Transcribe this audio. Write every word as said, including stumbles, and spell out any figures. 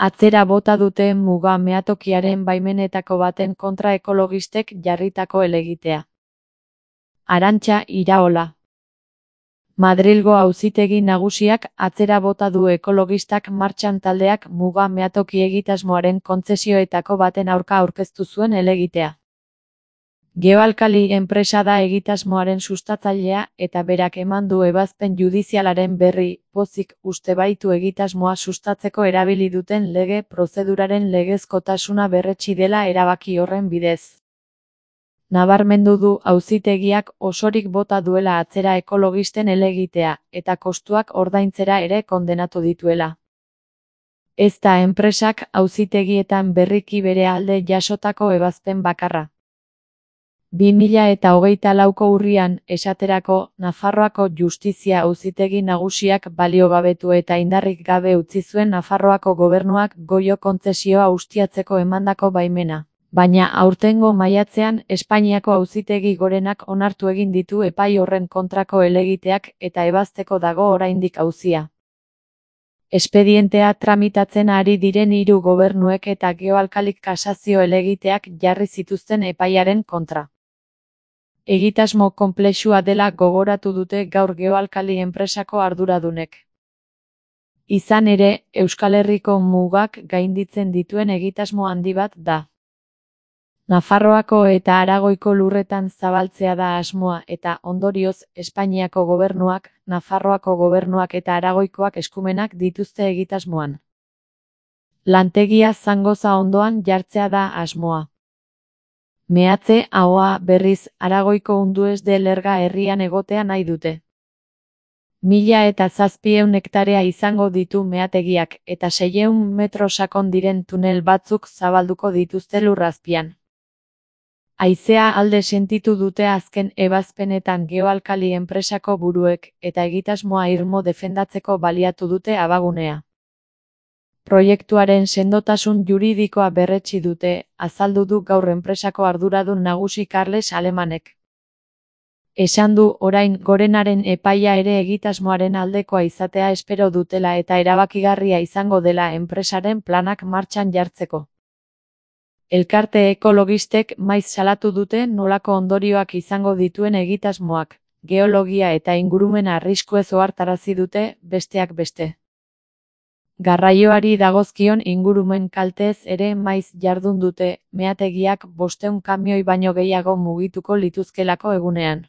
Atzera bota dute muga meatokiaren baimenetako baten kontra ekologistek jarritako helegitea. Arantxa Iraola. Madrilgo Auzitegi Nagusiak atzera bota du ekologistak martxan taldeak muga meatoki egitasmoaren kontzesioetako baten aurka aurkeztu zuen helegitea. Geoalkali enpresa da egitasmoaren sustatzailea eta berak eman du ebazpen judizialaren berri, pozik uste baitu egitasmoa sustatzeko erabili duten lege prozeduraren legezkotasuna berretsi dela erabaki horren bidez. Nabarmendu du auzitegiak osorik bota duela atzera ekologisten helegitea eta kostuak ordaintzera ere kondenatu dituela. Ez da enpresak auzitegietan berriki bere alde jasotako ebazpen bakarra. bi mila eta hogeita lauko urrian, esaterako, Nafarroako Justizia Auzitegi Nagusiak baliogabetu eta indarrik gabe utzi zuen Nafarroako gobernuak goio kontzesioa ustiatzeko emandako baimena. Baina aurtengo maiatzean Espainiako Auzitegi Gorenak onartu egin ditu epai horren kontrako helegiteak eta ebazteko dago oraindik auzia. Espedientea tramitatzen ari diren hiru gobernuek eta geoalkalik kasazio helegiteak jarri zituzten epaiaren kontra. Egitasmo konplexua dela gogoratu dute gaur geoalkali enpresako arduradunek. Izan ere, Euskal Herriko mugak gainditzen dituen egitasmo handi bat da. Nafarroako eta Aragoiko lurretan zabaltzea da asmoa eta, ondorioz, Espainiako gobernuak, Nafarroako gobernuak eta Aragoikoak eskumenak dituzte egitasmoan. Lantegia Zangoza ondoan jartzea da asmoa. Meatze ahoa berriz Aragoiko Undues de Lerga herrian egotea nahi dute. Mila eta zazpieun hektarea izango ditu meategiak eta seiehun metro sakon diren tunel batzuk zabalduko dituzte lurrazpian. Haizea alde sentitu dute azken ebazpenetan geoalkali enpresako buruek eta egitasmoa irmo defendatzeko baliatu dute abagunea. Proiektuaren sendotasun juridikoa berretsi dute, azaldu du gaur enpresako arduradun nagusi Carles Alemanek. Esan du orain Gorenaren epaia ere egitasmoaren aldekoa izatea espero dutela eta erabakigarria izango dela enpresaren planak martxan jartzeko. Elkarte ekologistek maiz salatu dute nolako ondorioak izango dituen egitasmoak, geologia eta ingurumena arriskuez ohartarazi dute, besteak beste. Garraioari dagozkion ingurumen kalteez ere maiz jardun dute, meategiak bostehun kamioi baino gehiago mugituko lituzkelako egunean.